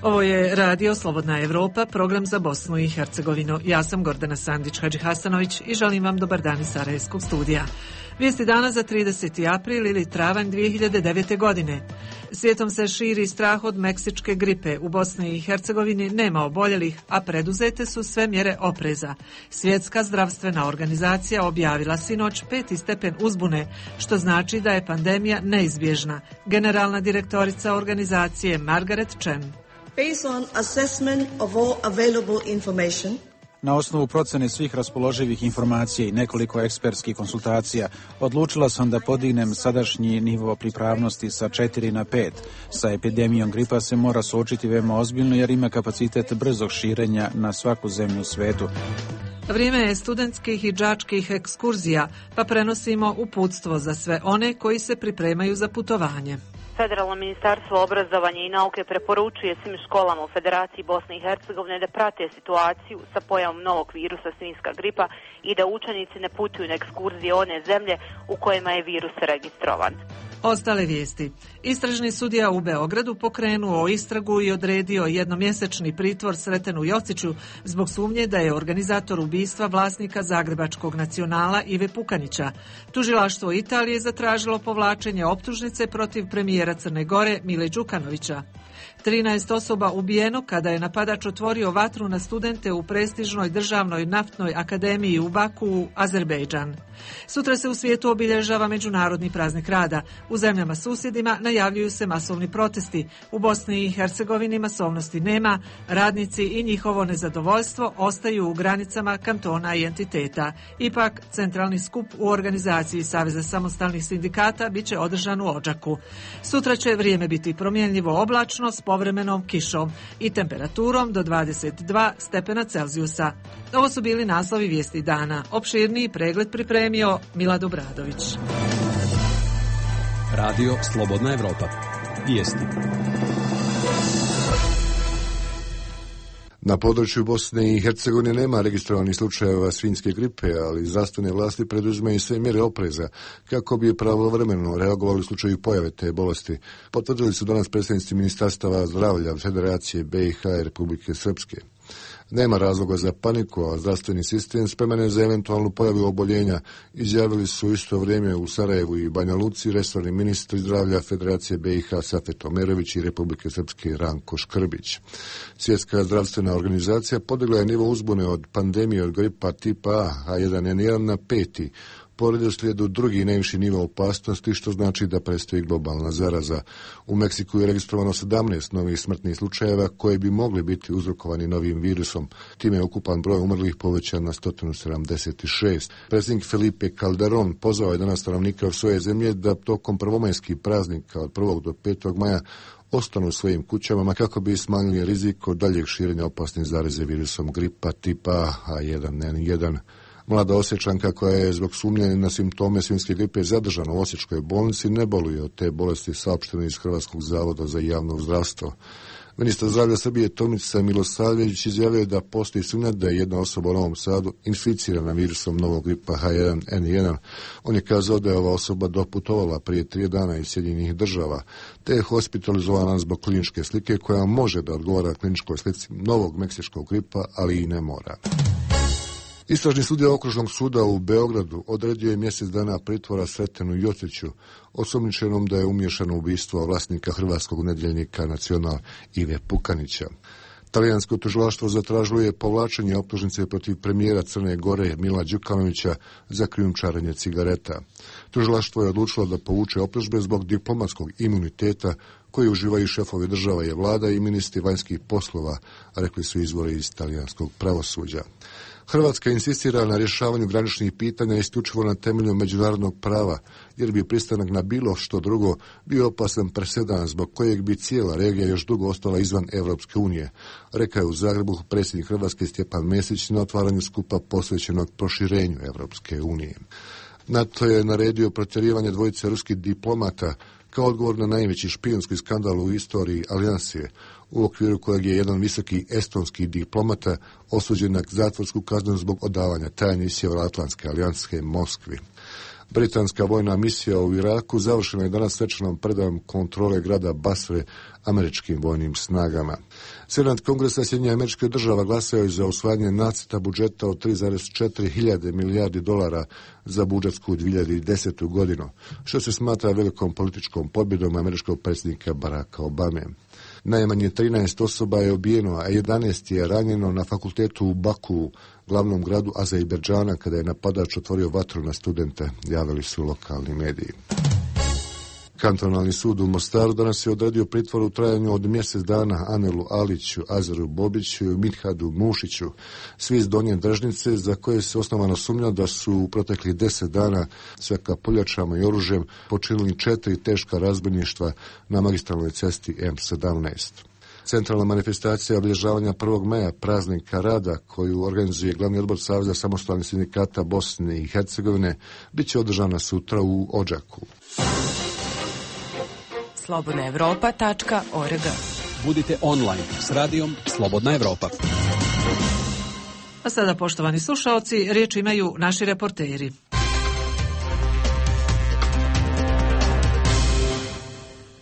Ovo je Radio Slobodna Evropa, program za Bosnu i Hercegovinu. Ja sam Gordana Sandić-Hadžihasanović i želim vam dobar dan iz Sarajevskog studija. Vijesti dana za 30. april ili travanj 2009. godine. Svijetom se širi strah od meksičke gripe. U Bosni i Hercegovini nema oboljelih, a preduzete su sve mjere opreza. Svjetska zdravstvena organizacija objavila sinoć 5. stepen uzbune, što znači da je pandemija neizbježna. Generalna direktorica organizacije Margaret Chan. Based on assessment of all available information, na osnovu procjene svih raspoloživih informacija i nekoliko ekspertskih konsultacija, odlučila sam da podignem sadašnji nivo pripravnosti sa 4 na 5. Sa epidemijom gripa se mora suočiti veoma ozbiljno jer ima kapacitet brzog širenja na svaku zemlju u svijetu. Vrijeme je studentskih i đačkih ekskurzija, pa prenosimo uputstvo za sve one koji se pripremaju za putovanje. Federalno ministarstvo obrazovanja i nauke preporučuje svim školama u Federaciji Bosne i Hercegovine da prate situaciju sa pojavom novog virusa svinjska gripa i da učenici ne putuju na ekskurzije one zemlje u kojima je virus registrovan. Ostale vijesti. Istražni sudija u Beogradu pokrenuo istragu i odredio jednomjesečni pritvor Sretenu Jociću zbog sumnje da je organizator ubistva vlasnika Zagrebačkog Nacionala Ive Pukanića. Tužilaštvo Italije zatražilo povlačenje optužnice protiv premijera Crne Gore Mile Đukanovića. 13 osoba ubijeno kada je napadač otvorio vatru na studente u prestižnoj državnoj naftnoj akademiji u Baku, Azerbejdžan. Sutra se u svijetu obilježava Međunarodni praznik rada. U zemljama susjedima najavljuju se masovni protesti. U Bosni i Hercegovini masovnosti nema, radnici i njihovo nezadovoljstvo ostaju u granicama kantona i entiteta. Ipak, centralni skup u organizaciji Saveza samostalnih sindikata bit će održan u Odžaku. Sutra će vrijeme biti promjenljivo oblačno s povremenom kišom i temperaturom do 22 stepena Celzijusa. Ovo su bili naslovi vijesti dana. Opširniji pregled pripremio Milad Obradović. Radio Slobodna Evropa. Vijesti. Na području Bosne i Hercegovine nema registrovanih slučajeva svinjske gripe, ali zdravstvene vlasti preduzimaju sve mjere opreza kako bi pravovremeno reagovali u slučaju pojave te bolesti. Potvrdili su danas predstavnici Ministarstava zdravlja Federacije BiH i Republike Srpske. Nema razloga za paniku, a zdravstveni sistem spreman je za eventualnu pojavu oboljenja, izjavili su isto vrijeme u Sarajevu i Banja Luci resorni ministri zdravlja Federacije BiH Safet Omerović i Republike Srpske Ranko Škrbić. Svjetska zdravstvena organizacija podigla je nivo uzbune od pandemije od gripa tipa A1N1 na 5. Po redoslijedu drugi najviši nivo opasnosti, što znači da predstoji globalna zaraza. U Meksiku je registrovano 17 novih smrtnih slučajeva koji bi mogli biti uzrokovani novim virusom. Time je ukupan broj umrlih povećan na 176. Predsjednik Felipe Calderón pozvao je danas stanovnike svoje zemlje da tokom prvomajskih praznika od 1. do 5. maja ostanu u svojim kućama kako bi smanjili rizik od daljeg širenja opasnih zaraze virusom gripa tipa A1N1. Mlada Osječanka koja je zbog sumnje na simptome svinjske gripe zadržana u Osječkoj bolnici ne boluje od te bolesti, saopšteno iz Hrvatskog zavoda za javno zdravstvo. Ministar zdravlja Srbije Tomica Milosavljević izjavio da postoji sumnja da je jedna osoba u Novom Sadu inficirana virusom novog gripa H1N1. On je kazao da je ova osoba doputovala prije 3 dana iz Sjedinjenih država, te je hospitalizovana zbog kliničke slike koja može da odgovara kliničkoj slici novog meksičkog gripa, ali i ne mora. Istražni sudija Okružnog suda u Beogradu odredio je mjesec dana pritvora Sretenu Jociću, osumnjičenom da je umiješan u ubistvo vlasnika hrvatskog nedjeljnika Nacional Ive Pukanića. Talijansko tužilaštvo zatražilo je povlačenje optužnice protiv premijera Crne Gore Mila Đukanovića za krijumčarenje cigareta. Tužilaštvo je odlučilo da povuče optužbe zbog diplomatskog imuniteta koji uživaju šefovi država i vlada i ministri vanjskih poslova, rekli su izvori iz talijanskog pravosuđa. Hrvatska insistira na rješavanju graničnih pitanja isključivo na temelju međunarodnog prava, jer bi pristanak na bilo što drugo bio opasan presedan zbog kojeg bi cijela regija još dugo ostala izvan Evropske unije, rekao je u Zagrebu predsjednik Hrvatske Stjepan Mesić na otvaranju skupa posvećenog proširenju Evropske unije. NATO je naredio protjerivanje dvojice ruskih diplomata kao odgovor na najveći špijunski skandal u istoriji alijanse, u okviru kojeg je jedan visoki estonski diplomata osuđen na zatvorsku kaznu zbog odavanja tajnih Sjevernoatlantske alijanske Moskvi. Britanska vojna misija u Iraku završena je danas svečanom predajom kontrole grada Basre američkim vojnim snagama. Senat Kongresa Sjedinjenih Američkih Država glasao je za usvajanje nacrta budžeta od 3,4 hiljade milijardi dolara za budžetsku 2010. godinu, što se smatra velikom političkom pobjedom američkog predsjednika Baracka Obame. Najmanje 13 osoba je ubijeno, a 11 je ranjeno na fakultetu u Baku, glavnom gradu Azerbejdžana, kada je napadač otvorio vatru na studente, javili su lokalni mediji. Kantonalni sud u Mostaru danas je odredio pritvor u trajanju od mjesec dana Anelu Aliću, Azeru Bobiću i Midhadu Mušiću, svi iz Donje Drežnice, za koje se osnovano sumnja da su u proteklih 10 dana sa kapuljačama i oružjem počinili 4 teška razbojništva na magistralnoj cesti M17. Centralna manifestacija obilježavanja 1. maja, praznika rada, koju organizuje glavni odbor Saveza samostalnih sindikata Bosne i Hercegovine, bit će održana sutra u Odžaku. slobodnaevropa.org. Budite online s radijom Slobodna Evropa. A sada, poštovani slušaoci, riječ imaju naši reporteri.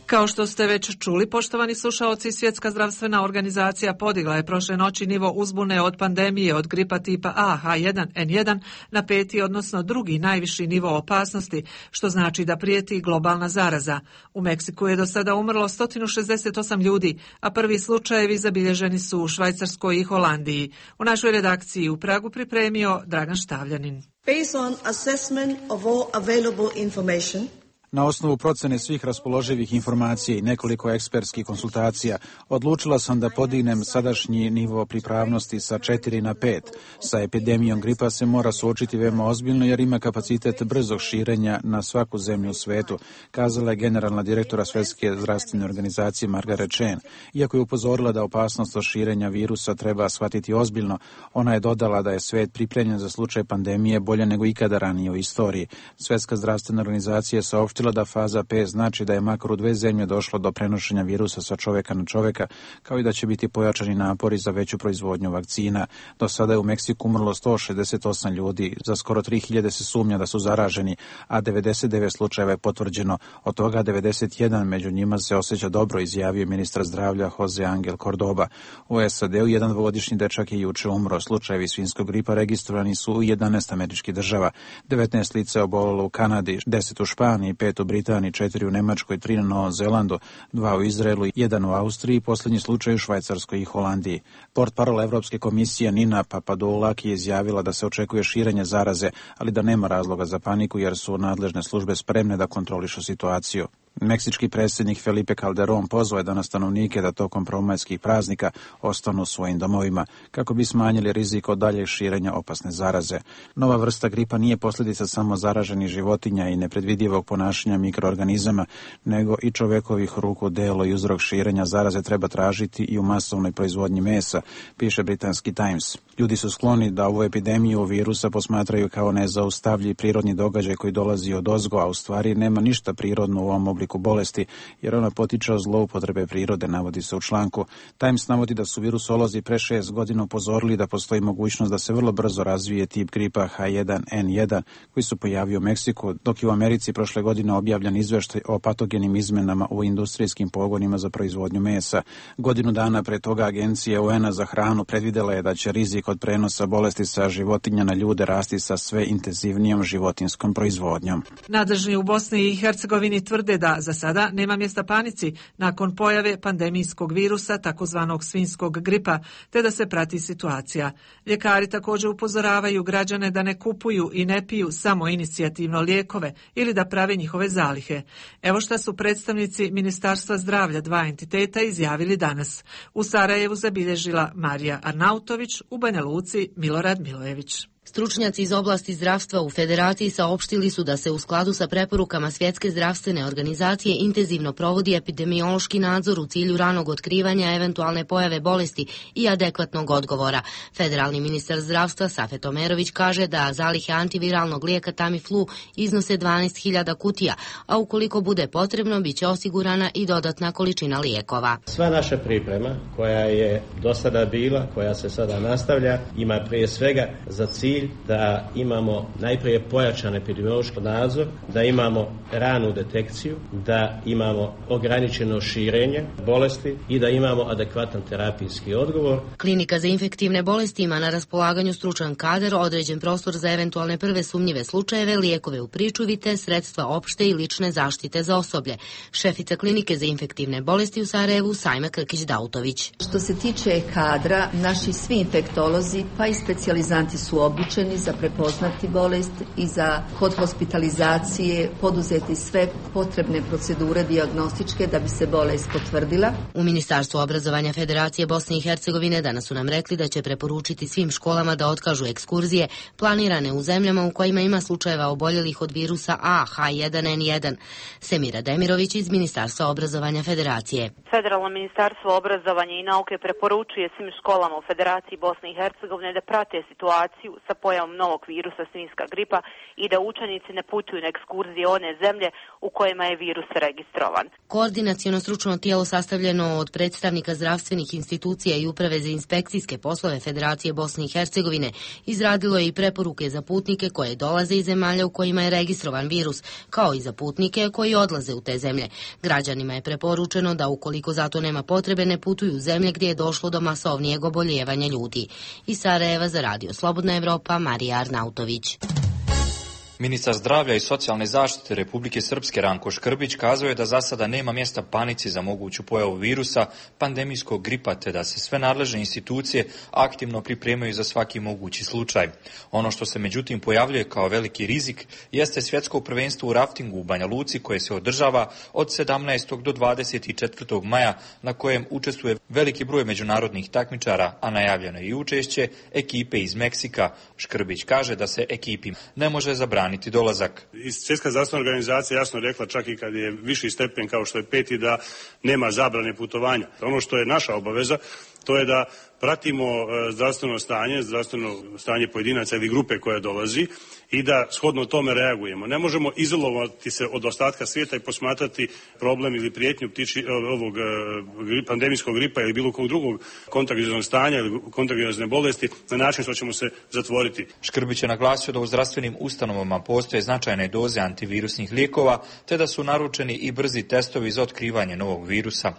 Kao što ste već čuli, poštovani slušaoci, Svjetska zdravstvena organizacija podigla je prošle noći nivo uzbune od pandemije od gripa tipa A H1N1 na 5. odnosno 2. najviši nivo opasnosti, što znači da prijeti globalna zaraza. U Meksiku je do sada umrlo 168 ljudi, a prvi slučajevi zabilježeni su u Švajcarskoj i Holandiji. U našoj redakciji u Pragu pripremio Dragan Štavljanin. Based on assessment of all available information, na osnovu procene svih raspoloživih informacija i nekoliko ekspertskih konsultacija, odlučila sam da podignem sadašnji nivo pripravnosti sa 4 na 5. Sa epidemijom gripa se mora suočiti veoma ozbiljno jer ima kapacitet brzog širenja na svaku zemlju u svetu, kazala je generalna direktora Svjetske zdravstvene organizacije Margaret Chan. Iako je upozorila da opasnost od širenja virusa treba shvatiti ozbiljno, ona je dodala da je svet pripremljen za slučaj pandemije bolje nego ikada ranije u istoriji. Svjetska zdravstvena organizacija je saopštila da faza 5 znači da je makar u 2 zemlje došlo do prenošenja virusa sa čovjeka na čovjeka, kao i da će biti pojačani napori za veću proizvodnju vakcina. Do sada je u Meksiku umrlo 168 ljudi, za skoro 3000 se sumnja da su zaraženi, a 99 slučajeva je potvrđeno, od toga 91 među njima se osjeća dobro, izjavio ministar zdravlja Jose Angel Cordoba. U SAD-u jedan 2-godišnji dečak je juče umro. Slučajevi svinjskog gripa registrovani su u 11 američkih država. 19 lica je obolelo u Kanadi, 10 u Španiji, 5 u Britaniji, 4 u Nemačkoj, 3 na Novom Zelandu, 2 u Izraelu, 1 u Austriji, posljednji slučaj u Švajcarskoj i Holandiji. Portparol Evropske komisije Nina Papadoulaki je izjavila da se očekuje širenje zaraze, ali da nema razloga za paniku jer su nadležne službe spremne da kontrolišu situaciju. Meksički predsjednik Felipe Calderón pozvao je danas stanovnike da tokom prvomajskih praznika ostanu u svojim domovima kako bi smanjili rizik od daljeg širenja opasne zaraze. Nova vrsta gripa nije posljedica samo zaraženih životinja i nepredvidivog ponašanja mikroorganizama, nego i čovjekovih ruku delo i uzrok širenja zaraze treba tražiti i u masovnoj proizvodnji mesa, piše britanski Times. Ljudi su skloni da ovu epidemiju virusa posmatraju kao nezaustavljiv prirodni događaj koji dolazi od ozgo, a u stvari nema ništa prirodno u ovom obliku bolesti, jer ona potiče od zloupotrebe prirode, navodi se u članku. Times navodi da su virusolozi pre 6 godina upozorili da postoji mogućnost da se vrlo brzo razvije tip gripa H1N1 koji se pojavio u Meksiku, dok je u Americi prošle godine objavljen izveštaj o patogenim izmenama u industrijskim pogonima za proizvodnju mesa. Godinu dana pre toga Agencija UN-a za hranu predvidela je da će rizik od prenosa bolesti sa životinja na ljude rasti sa sve intenzivnijom životinskom proizvodnjom. Nadležni u Bosni i Hercegovini tvrde da za sada nema mjesta panici nakon pojave pandemijskog virusa, takozvanog svinjskog gripa, te da se prati situacija. Ljekari također upozoravaju građane da ne kupuju i ne piju samo inicijativno lijekove ili da prave njihove zalihe. Evo šta su predstavnici Ministarstva zdravlja 2 entiteta izjavili danas. U Sarajevu zabilježila Marija Arnautović, u Banja Luci Milorad Milojević. Stručnjaci iz oblasti zdravstva u Federaciji saopštili su da se u skladu sa preporukama Svjetske zdravstvene organizacije intenzivno provodi epidemiološki nadzor u cilju ranog otkrivanja eventualne pojave bolesti i adekvatnog odgovora. Federalni ministar zdravstva Safet Omerović kaže da zalihe antiviralnog lijeka Tamiflu iznose 12.000 kutija, a ukoliko bude potrebno biće osigurana i dodatna količina lijekova. Sva naša priprema koja je do sada bila, koja se sada nastavlja, ima prije svega za cilj cilj da imamo najprije pojačan epidemiološki nadzor, da imamo ranu detekciju, da imamo ograničeno širenje bolesti i da imamo adekvatan terapijski odgovor. Klinika za infektivne bolesti ima na raspolaganju stručan kadar, određen prostor za eventualne prve sumnjive slučajeve, lijekove u pričuvi te sredstva opšte i lične zaštite za osoblje. Šefica klinike za infektivne bolesti u Sarajevu, Sajma Krkić-Dautović. Što se tiče kadra, naši svi infektolozi pa i specijalizanti su obučeni za prepoznati bolest i za kod hospitalizacije poduzeti sve potrebne procedure dijagnostičke da bi se bolest potvrdila. U Ministarstvu obrazovanja Federacije Bosne i Hercegovine danas su nam rekli da će preporučiti svim školama da otkažu ekskurzije planirane u zemljama u kojima ima slučajeva oboljelih od virusa H1N1. Semira Demirović iz Ministarstva obrazovanja Federacije. Federalno ministarstvo obrazovanja i nauke preporučuje svim školama u Federaciji Bosne i Hercegovine da prate situaciju sa pojavom novog virusa svinjska gripa i da učenici ne putuju na ekskurzije one zemlje u kojima je virus registrovan. Koordinaciono stručno tijelo sastavljeno od predstavnika zdravstvenih institucija i Uprave za inspekcijske poslove Federacije Bosne i Hercegovine izradilo je i preporuke za putnike koje dolaze iz zemalja u kojima je registrovan virus, kao i za putnike koji odlaze u te zemlje. Građanima je preporučeno da ukoliko zato nema potrebe ne putuju u zemlje gdje je došlo do masovnijeg oboljevanja ljudi. Iz Sarajeva za Radio Slobodna Evropa, Marija Arnautović. Ministar zdravlja i socijalne zaštite Republike Srpske Ranko Škrbić kazao je da za sada nema mjesta panici za moguću pojavu virusa pandemijskog gripa, te da se sve nadležne institucije aktivno pripremaju za svaki mogući slučaj. Ono što se međutim pojavljuje kao veliki rizik jeste svjetsko prvenstvo u raftingu u Banja Luci koje se održava od 17. do 24. maja na kojem učestvuje veliki broj međunarodnih takmičara, a najavljeno je i učešće ekipe iz Meksika. Škrbić kaže da se ekipi ne može zabraniti dolazak. Svjetska zdravstvena organizacija jasno rekla, čak i kad je viši stepen kao što je 5, da nema zabrane putovanja. Ono što je naša obaveza, to je da pratimo zdravstveno stanje pojedinaca ili grupe koja dolazi i da shodno tome reagujemo. Ne možemo izolovati se od ostatka svijeta i posmatrati problem ili prijetnju ovog pandemijskog gripa ili bilo kog drugog kontagioznog stanja ili kontagiozne bolesti na način što ćemo se zatvoriti. Škrbić je naglasio da u zdravstvenim ustanovama postoje značajne doze antivirusnih lijekova, te da su naručeni i brzi testovi za otkrivanje novog virusa.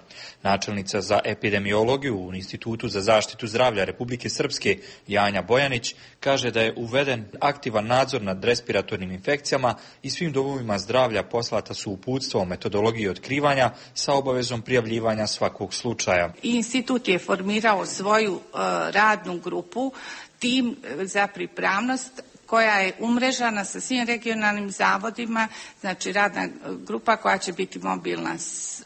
Načelnica za epidemiologiju u Institutu za zaštitu zdravlja Republike Srpske Janja Bojanić kaže da je uveden aktivan nadzor nad respiratornim infekcijama i svim domovima zdravlja poslata su uputstva o metodologiji otkrivanja sa obavezom prijavljivanja svakog slučaja. Institut je formirao svoju radnu grupu, tim za pripravnost koja je umrežana sa svim regionalnim zavodima, znači radna grupa koja će biti mobilna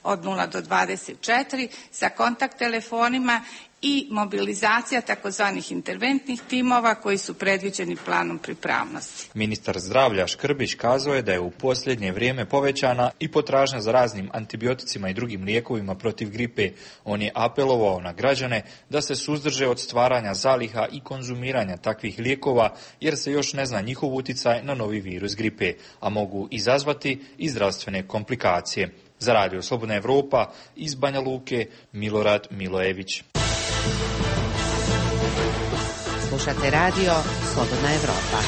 od 0 do 24 sa kontakt telefonima i mobilizacija takozvanih interventnih timova koji su predviđeni planom pripravnosti. Ministar zdravlja Škrbić kazao je da je u posljednje vrijeme povećana i potražnja za raznim antibioticima i drugim lijekovima protiv gripe. On je apelovao na građane da se suzdrže od stvaranja zaliha i konzumiranja takvih lijekova jer se još ne zna njihov uticaj na novi virus gripe, a mogu izazvati i zdravstvene komplikacije. Za Radio Slobodna Evropa iz Banja Luke, Milorad Milojević. Slušate Radio Slobodna Evropa.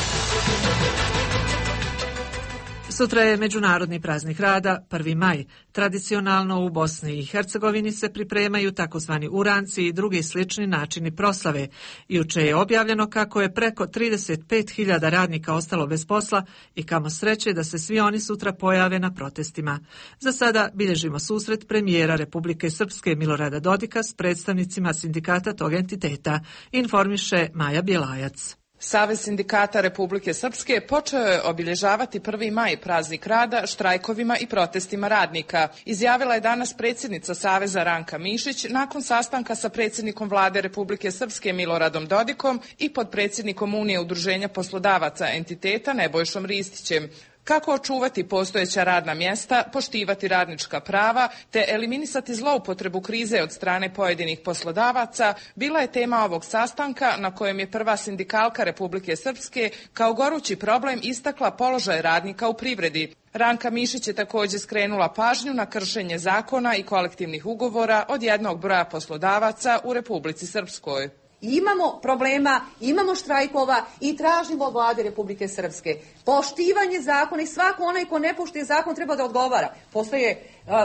Sutra je Međunarodni praznik rada, 1. maj. Tradicionalno u Bosni i Hercegovini se pripremaju takozvani uranci i drugi slični načini proslave. Juče je objavljeno kako je preko 35.000 radnika ostalo bez posla i kamo sreće da se svi oni sutra pojave na protestima. Za sada bilježimo susret premijera Republike Srpske Milorada Dodika s predstavnicima sindikata tog entiteta, informiše Maja Bjelajac. Savez sindikata Republike Srpske počeo je obilježavati 1. maj praznik rada štrajkovima i protestima radnika. Izjavila je danas predsjednica Saveza Ranka Mišić nakon sastanka sa predsjednikom vlade Republike Srpske Miloradom Dodikom i podpredsjednikom Unije udruženja poslodavaca entiteta Nebojšom Ristićem. Kako očuvati postojeća radna mjesta, poštivati radnička prava te eliminisati zloupotrebu krize od strane pojedinih poslodavaca bila je tema ovog sastanka na kojem je prva sindikalka Republike Srpske kao gorući problem istakla položaj radnika u privredi. Ranka Mišić je također skrenula pažnju na kršenje zakona i kolektivnih ugovora od jednog broja poslodavaca u Republici Srpskoj. imamo problema, imamo štrajkova i tražimo od vlade Republike Srpske poštivanje zakona i svako onaj ko ne poštuje zakon treba da odgovara. Postoje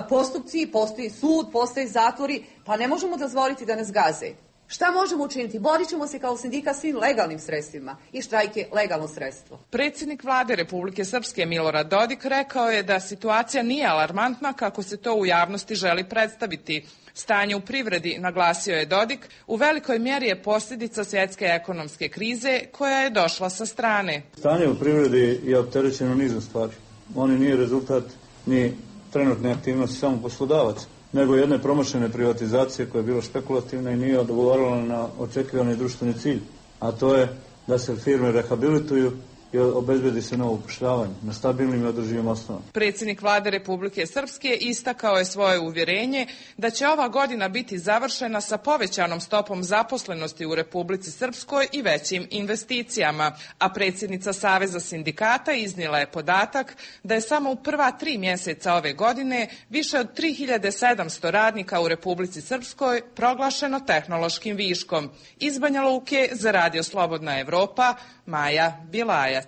postupci, postoji sud, postoje zatvori, pa ne možemo dozvoliti da nas gaze. Šta možemo učiniti? Borit ćemo se kao sindikat svim legalnim sredstvima i štrajk je legalno sredstvo. Predsjednik vlade Republike Srpske Milorad Dodik rekao je da situacija nije alarmantna kako se to u javnosti želi predstaviti. Stanje u privredi, naglasio je Dodik, u velikoj mjeri je posljedica svjetske ekonomske krize koja je došla sa strane. Stanje u privredi je opterećeno nizom stvari. Oni nije rezultat ni trenutne aktivnosti samo poslodavaca, nego jedne promašene privatizacije koja je bila špekulativna i nije odgovarala na očekivani društveni cilj, a to je da se firme rehabilituju i obezbedi se novo upošljavanje na stabilnim i održivim osnovama. Predsjednik vlade Republike Srpske istakao je svoje uvjerenje da će ova godina biti završena sa povećanom stopom zaposlenosti u Republici Srpskoj i većim investicijama, a predsjednica Saveza sindikata iznijela je podatak da je samo u prva 3 mjeseca ove godine više od 3700 radnika u Republici Srpskoj proglašeno tehnološkim viškom. Iz Banja Luke za Radio Slobodna Evropa, Maja Bilajac.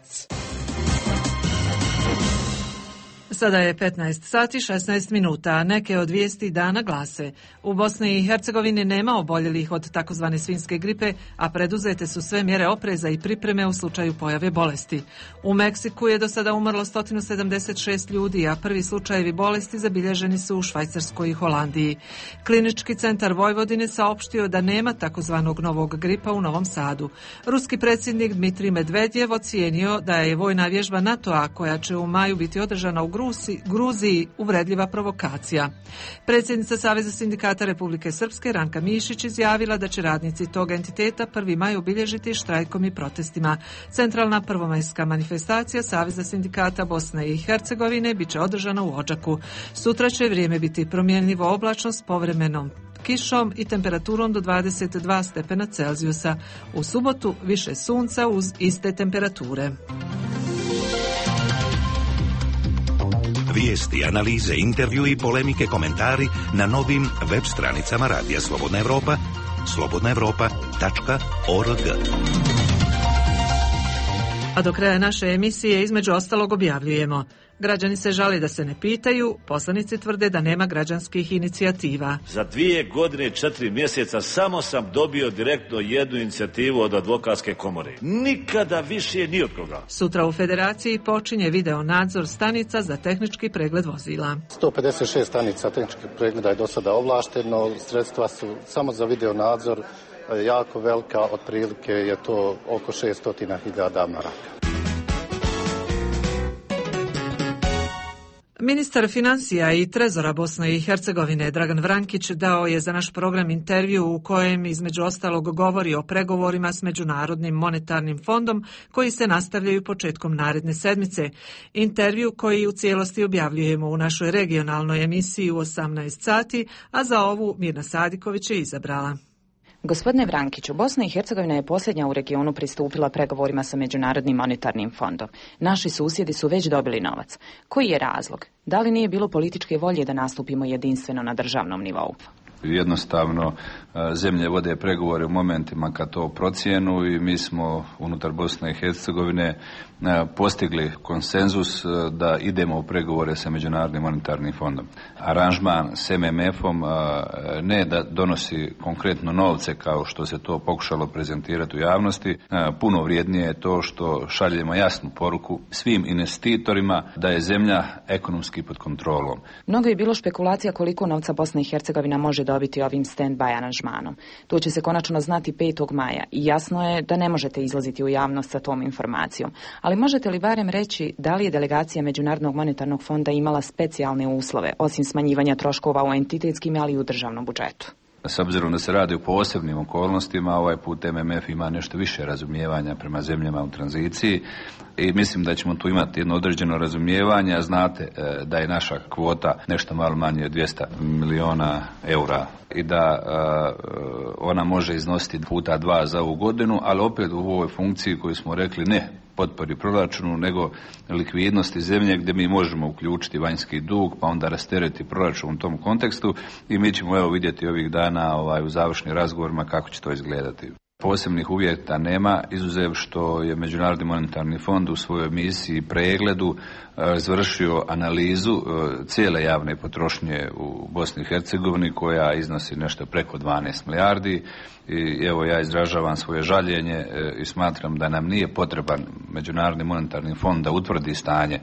Sada je 15 sati 16 minuta. Neke od vijesti dana glase: u Bosni i Hercegovini nema oboljelih od takozvane svinjske gripe, a preduzete su sve mjere opreza i pripreme u slučaju pojave bolesti. U Meksiku je do sada umrlo 176 ljudi, a prvi slučajevi bolesti zabilježeni su u Švajcarskoj i Holandiji. Klinički centar Vojvodine saopštio da nema takozvanog novog gripa u Novom Sadu. Ruski predsjednik Dmitrij Medvedjev ocijenio da je vojna vježba NATO-a koja će u maju biti održana u Gruziji uvredljiva provokacija. Predsjednica Saveza sindikata Republike Srpske Ranka Mišić izjavila da će radnici tog entiteta 1. maj obilježiti štrajkom i protestima. Centralna prvomajska manifestacija Saveza sindikata Bosne i Hercegovine biće održana u Odžaku. Sutra će vrijeme biti promjenljivo oblačno s povremenom kišom i temperaturom do 22 stepena Celzijusa. U subotu više sunca uz iste temperature. Vijesti, analize, intervju i polemike, komentari na novim web stranicama Radija Slobodna Evropa, slobodnaevropa.org. A do kraja naše emisije između ostalog objavljujemo: građani se žali da se ne pitaju, poslanici tvrde da nema građanskih inicijativa. Za 2 godine i 4 mjeseca samo sam dobio direktno jednu inicijativu od advokatske komore. Nikada više ni od koga. Sutra u Federaciji počinje video nadzor stanica za tehnički pregled vozila. 156 stanica tehničkih pregleda je do sada ovlašteno, sredstva su samo za video nadzor jako velika, otprilike je to oko 600.000 maraka. Ministar financija i trezora Bosne i Hercegovine Dragan Vrankić dao je za naš program intervju u kojem između ostalog govori o pregovorima s Međunarodnim monetarnim fondom koji se nastavljaju početkom naredne sedmice. Intervju koji u cijelosti objavljujemo u našoj regionalnoj emisiji u 18 sati, a za ovu Mirna Sadiković je izabrala. Gospodine Vrankiću, Bosna i Hercegovina je posljednja u regionu pristupila pregovorima sa Međunarodnim monetarnim fondom. Naši susjedi su već dobili novac. Koji je razlog? Da li nije bilo političke volje da nastupimo jedinstveno na državnom nivou? Jednostavno, zemlje vode pregovore u momentima kad to procijenu i mi smo unutar Bosne i Hercegovine postigli konsenzus da idemo u pregovore sa Međunarodnim monetarnim fondom. Aranžman s MMF-om ne da donosi konkretno novce kao što se to pokušalo prezentirati u javnosti, puno vrijednije je to što šaljemo jasnu poruku svim investitorima da je zemlja ekonomski pod kontrolom. Mnogo je bilo špekulacija koliko novca Bosna i Hercegovina može dobiti ovim stand-by aranžmanom. To će se konačno znati 5. maja i jasno je da ne možete izlaziti u javnost sa tom informacijom. Ali možete li barem reći da li je delegacija Međunarodnog monetarnog fonda imala specijalne uslove, osim smanjivanja troškova u entitetskim, ali i u državnom budžetu? S obzirom da se radi o posebnim okolnostima, ovaj put MMF ima nešto više razumijevanja prema zemljama u tranziciji i mislim da ćemo tu imati jedno određeno razumijevanje. Znate da je naša kvota nešto malo manje od 200 milijuna eura i da ona može iznositi puta 2 za ovu godinu, ali opet u ovoj funkciji koju smo rekli ne potpori proračunu, nego likvidnosti zemlje gdje mi možemo uključiti vanjski dug, pa onda rastereti proračun u tom kontekstu i mi ćemo vidjeti ovih dana u završnim razgovorima kako će to izgledati. Posebnih uvjeta nema, izuzev što je Međunarodni monetarni fond u svojoj misiji pregledu izvršio analizu cijele javne potrošnje u Bosni i Hercegovini koja iznosi nešto preko 12 milijardi i evo ja izražavam svoje žaljenje i smatram da nam nije potreban Međunarodni monetarni fond da utvrdi stanje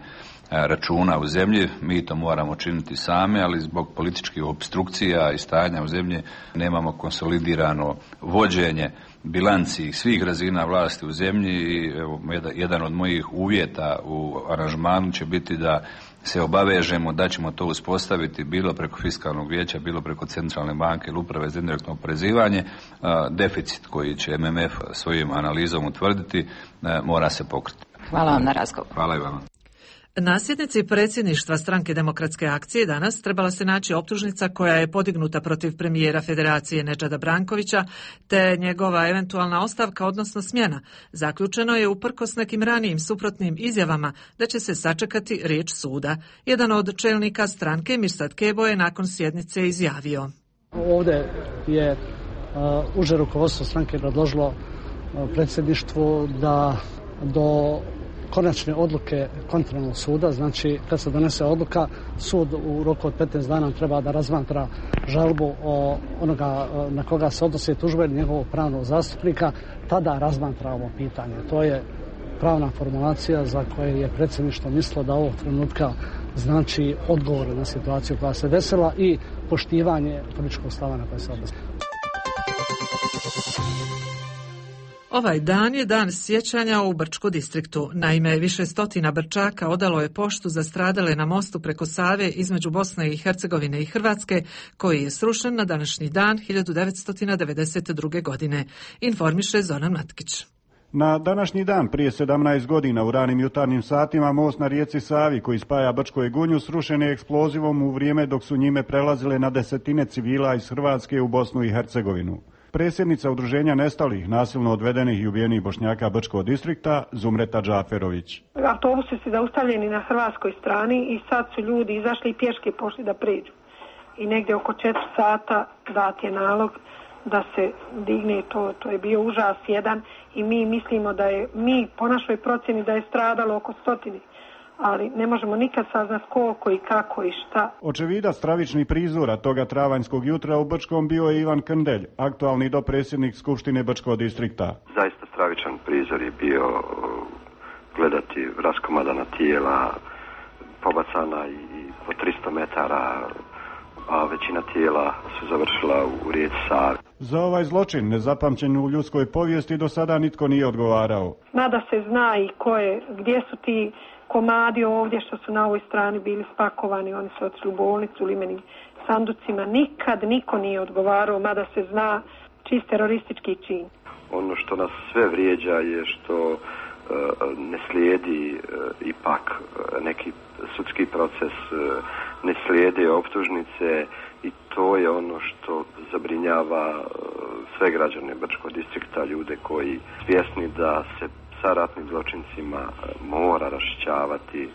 računa u zemlji, mi to moramo činiti sami, ali zbog političkih opstrukcija i stanja u zemlji nemamo konsolidirano vođenje bilanci svih razina vlasti u zemlji i evo, jedan od mojih uvjeta u aranžmanu će biti da se obavežemo da ćemo to uspostaviti bilo preko fiskalnog vijeća, bilo preko centralne banke ili uprave za indirektno oporezivanje. Deficit koji će MMF svojim analizom utvrditi mora se pokriti. Hvala vam na razgovor. Hvala i vama. Na sjednici predsjedništva Stranke demokratske akcije danas trebala se naći optužnica koja je podignuta protiv premijera Federacije Nedžada Brankovića te njegova eventualna ostavka, odnosno smjena. Zaključeno je uprkos nekim ranijim suprotnim izjavama da će se sačekati riječ suda. Jedan od čelnika stranke, Mirsad Kebo, je nakon sjednice izjavio. Ovdje je uže rukovodstvo stranke predložilo predsjedništvu da do konačne odluke kontrolnog suda, znači kad se donese odluka, sud u roku od 15 dana treba da razmatra žalbu onoga na koga se odnosi tužba ili njegovog pravnog zastupnika, tada razmatra ovo pitanje. To je pravna formulacija za koje je predsjedništvo mislilo da ovog trenutka znači odgovor na situaciju koja se desila i poštivanje političkog stava na koje se odnosi. Ovaj dan je dan sjećanja u Brčko distriktu. Naime, više stotina Brčaka odalo je poštu za stradale na mostu preko Save između Bosne i Hercegovine i Hrvatske, koji je srušen na današnji dan 1992. godine. Informiše Zoran Matkić. Na današnji dan prije 17 godina u ranim jutarnjim satima most na rijeci Savi koji spaja Brčko i Gunju srušen je eksplozivom u vrijeme dok su njime prelazile na desetine civila iz Hrvatske u Bosnu i Hercegovinu. Predsjednica udruženja nestalih, nasilno odvedenih i ubijenih Bošnjaka Brčkog distrikta, Zumreta Džaferović. Autobusi su zaustavljeni na hrvatskoj strani i sad su ljudi izašli i pješke pošli da pređu. I negdje oko 4 sata dat je nalog da se digne to je bio užas jedan i mi mislimo da je, mi po našoj procjeni da je stradalo oko 100. Ali ne možemo nikad saznati koliko i kako i šta. Očevidac stravičnih prizora toga travanjskog jutra u Brčkom bio je Ivan Krndelj, aktualni dopredsjednik Skupštine Brčkog distrikta. Zaista stravičan prizor je bio gledati raskomadana tijela, pobacana i po 300 metara, a većina tijela su završila u rijeci Savi. Za ovaj zločin, nezapamćen u ljudskoj povijesti, do sada nitko nije odgovarao. Nada se zna i gdje su ti komadi ovdje što su na ovoj strani bili spakovani, oni su otišli u bolnicu u limenim sanducima. Nikad niko nije odgovarao, mada se zna čist teroristički čin. Ono što nas sve vrijeđa je što ne slijedi ipak neki sudski proces, ne slijede optužnice i to je ono što zabrinjava sve građane Brčkog distrikta, ljude koji svjesni da se sa ratnim zločincima mora raščišćavati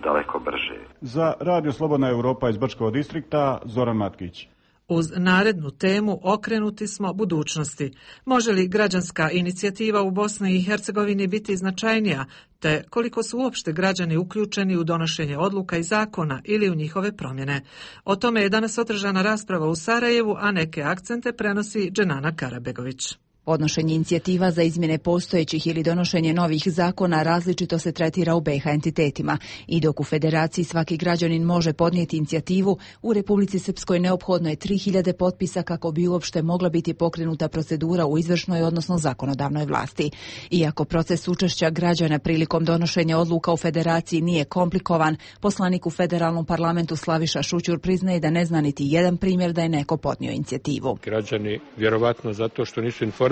daleko brže. Za Radio Slobodna Europa iz Brčkog distrikta, Zoran Matkić. Uz narednu temu okrenuti smo budućnosti. Može li građanska inicijativa u Bosni i Hercegovini biti značajnija, te koliko su uopšte građani uključeni u donošenje odluka i zakona ili u njihove promjene? O tome je danas održana rasprava u Sarajevu, a neke akcente prenosi Dženana Karabegović. Podnošenje inicijativa za izmjene postojećih ili donošenje novih zakona različito se tretira u BiH entitetima i dok u Federaciji svaki građanin može podnijeti inicijativu, u Republici Srpskoj neophodno je 3000 potpisa kako bi uopšte mogla biti pokrenuta procedura u izvršnoj, odnosno zakonodavnoj vlasti. Iako proces učešća građana prilikom donošenja odluka u Federaciji nije komplikovan, poslanik u federalnom parlamentu Slaviša Šućur priznaje da ne zna niti jedan primjer da je neko podnio inicijativu. Građani, vjerovatno zato što nisu informisani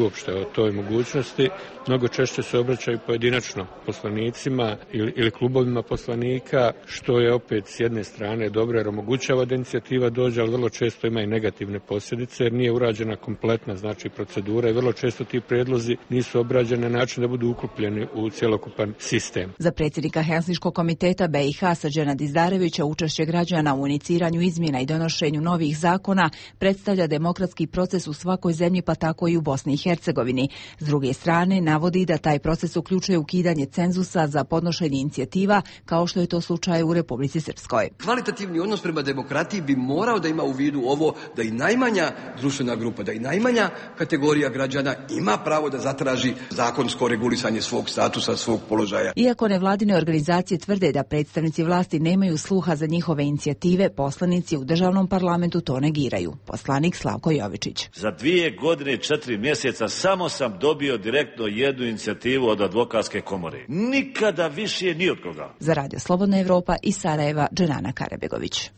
uopšte o toj mogućnosti, mnogo češće se obraćaju pojedinačno poslanicima ili klubovima poslanika, što je opet s jedne strane dobro jer omogućava da inicijativa dođe, ali vrlo često ima i negativne posljedice jer nije urađena kompletna procedura i vrlo često ti prijedlozi nisu obrađeni na način da budu uklopljeni u cjelokupan sistem. Za predsjednika Helsinškog komiteta BiH Srđana Dizdarevića učešće građana u iniciranju izmjena i donošenju novih zakona predstavlja demokratski proces u svakoj zemlji, pa tako i u u Bosni i Hercegovini. S druge strane, navodi da taj proces uključuje ukidanje cenzusa za podnošenje inicijativa, kao što je to slučaj u Republici Srpskoj. Kvalitativni odnos prema demokratiji bi morao da ima u vidu ovo da i najmanja društvena grupa, da i najmanja kategorija građana ima pravo da zatraži zakonsko regulisanje svog statusa, svog položaja. Iako nevladine organizacije tvrde da predstavnici vlasti nemaju sluha za njihove inicijative, poslanici u državnom parlamentu to negiraju. Poslanik Slavko Jovičić. Za 2 godine i 4 mjeseca samo sam dobio direktno jednu inicijativu od advokatske komore. Nikada više ni od koga. Za Radio Slobodna Evropa iz Sarajeva, Dženana Karabegović.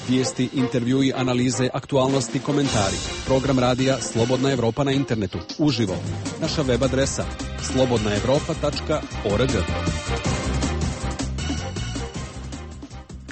Vijesti, intervjui, analize, aktualnosti, komentari. Program radija Slobodna Evropa na internetu. Uživo. Naša web adresa slobodnaevropa.org.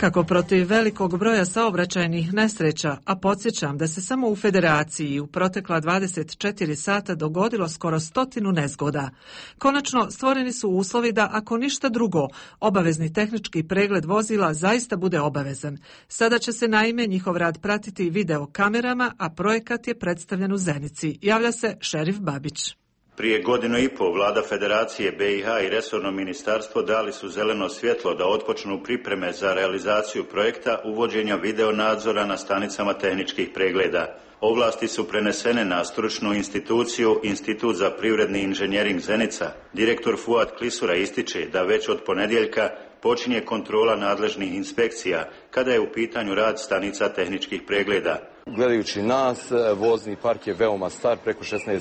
Kako protiv velikog broja saobraćajnih nesreća, a podsjećam da se samo u Federaciji u protekla 24 sata dogodilo skoro 100 nezgoda. Konačno stvoreni su uslovi da, ako ništa drugo, obavezni tehnički pregled vozila zaista bude obavezan. Sada će se naime njihov rad pratiti video kamerama, a projekat je predstavljen u Zenici. Javlja se Šerif Babić. Prije 1.5 godina vlada Federacije BiH i resorno ministarstvo dali su zeleno svjetlo da otpočnu pripreme za realizaciju projekta uvođenja video nadzora na stanicama tehničkih pregleda. Ovlasti su prenesene na stručnu instituciju Institut za privredni inženjering Zenica. Direktor Fuad Klisura ističe da već od ponedjeljka počinje kontrola nadležnih inspekcija kada je u pitanju rad stanica tehničkih pregleda. Gledajući nas, vozni park je veoma star, preko 16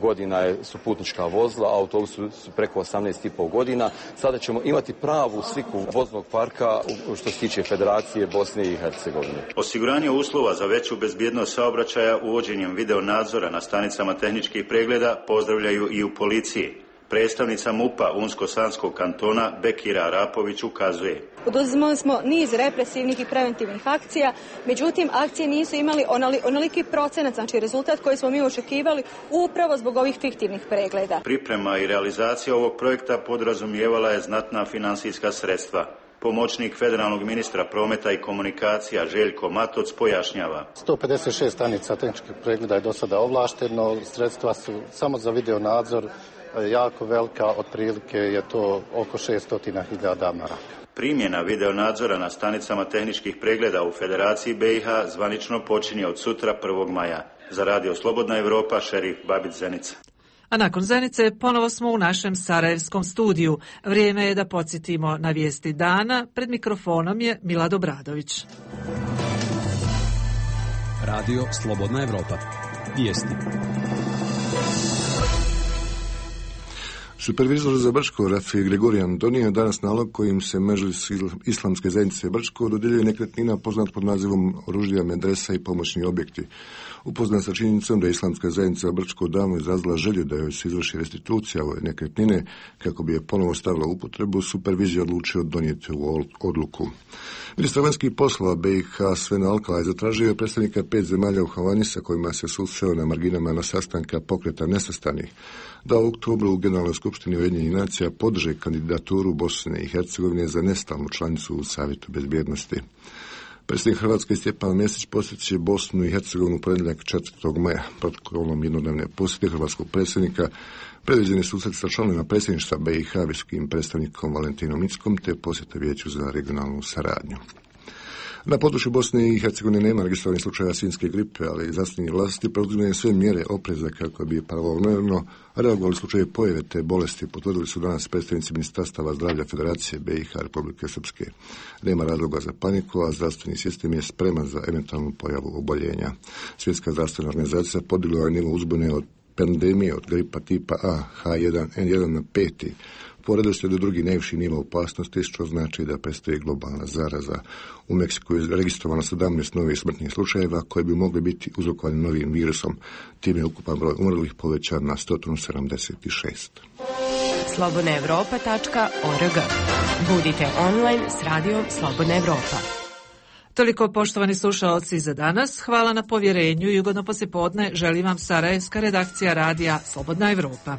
godina su putnička vozila, autobusi su preko 18,5 godina. Sada ćemo imati pravu sliku voznog parka što se tiče Federacije Bosne i Hercegovine. Osiguranje uslova za veću bezbjednost saobraćaja uvođenjem video nadzora na stanicama tehničkih pregleda pozdravljaju i u policiji. Predstavnica MUP-a Unsko-Sanskog kantona Bekira Arapović ukazuje. Poduzimali smo niz represivnih i preventivnih akcija, međutim akcije nisu imali onoliki procenat, znači rezultat koji smo mi očekivali upravo zbog ovih fiktivnih pregleda. Priprema i realizacija ovog projekta podrazumijevala je znatna financijska sredstva. Pomoćnik federalnog ministra prometa i komunikacija Željko Matoc pojašnjava. 156 stanica tehničkih pregleda je do sada ovlašteno, sredstva su samo za video nadzor jako velika, otprilike je to oko 600.000 maraka. Primjena video nadzora na stanicama tehničkih pregleda u Federaciji BiH zvanično počinje od sutra 1. maja. Za Radio Slobodna Evropa, Šerif Babić, Zenica. A nakon Zenice ponovo smo u našem sarajevskom studiju. Vrijeme je da podsjetimo na vijesti dana. Pred mikrofonom je Milad Obradović. Radio Slobodna Evropa. Vijesti. Supervizor za Brčko Rafi Gregorijan donio danas nalog kojim se Medžlis islamske zajednice Brčko dodjeljuje nekretnina poznat pod nazivom oružja, medresa i pomoćni objekti. Upoznat sa činjenicom da je islamska zajednica Brčko davno izrazila želju da joj se izvrši restitucija ove nekretnine kako bi je ponovo stavila u upotrebu, supervizija odlučio donijeti ovu odluku. Ministar vanjskih poslova BiH Sven Alkala je zatražio predstavnika 5 zemalja u Havani sa kojima se susreo na marginama na sastanka pokreta nesvrstanih da u oktobru u Generalnoj skupštini Ujedinjenih nacija podrže kandidaturu Bosne i Hercegovine za nestalnu članicu u Savjetu bezbjednosti. Predsjednik Hrvatske Stjepan Mesić posjetit Bosnu i Hercegovinu u ponedjeljak 4. maja. Protokolom jednodnevne posjete hrvatskog predsjednika predviđeni susret sa članovima predsjedništva BiH, visokim predstavnikom Valentinom Inckom te posjete Vijeću za regionalnu saradnju. Na području Bosne i Hercegovine nema registrovanih slučaja svinjske gripe, ali zdravstvene vlasti poduzimaju sve mjere opreza kako bi pravovremeno reagovali slučaje pojave te bolesti, potvrdili su danas predstavnici Ministarstava zdravlja Federacije BiH Republike Srpske. Nema razloga za paniku, a zdravstveni sistem je spreman za eventualnu pojavu oboljenja. Svjetska zdravstvena organizacija podigla je nivo uzbune od pandemije od gripa tipa A, H1N1 na 5. Po redoslijedu drugi najviši nivo opasnosti, što znači da predstoji globalna zaraza. U Meksiku je registrovano 17 novih smrtnih slučajeva koji bi mogli biti uzrokovani novim virusom. Time je ukupan broj umrlih povećan na 176. slobodnaevropa.org. Budite online s radijom Slobodna Evropa. Toliko, poštovani slušaoci, za danas. Hvala na povjerenju i ugodno poslijepodne želim vam sarajevska redakcija radija Slobodna Evropa.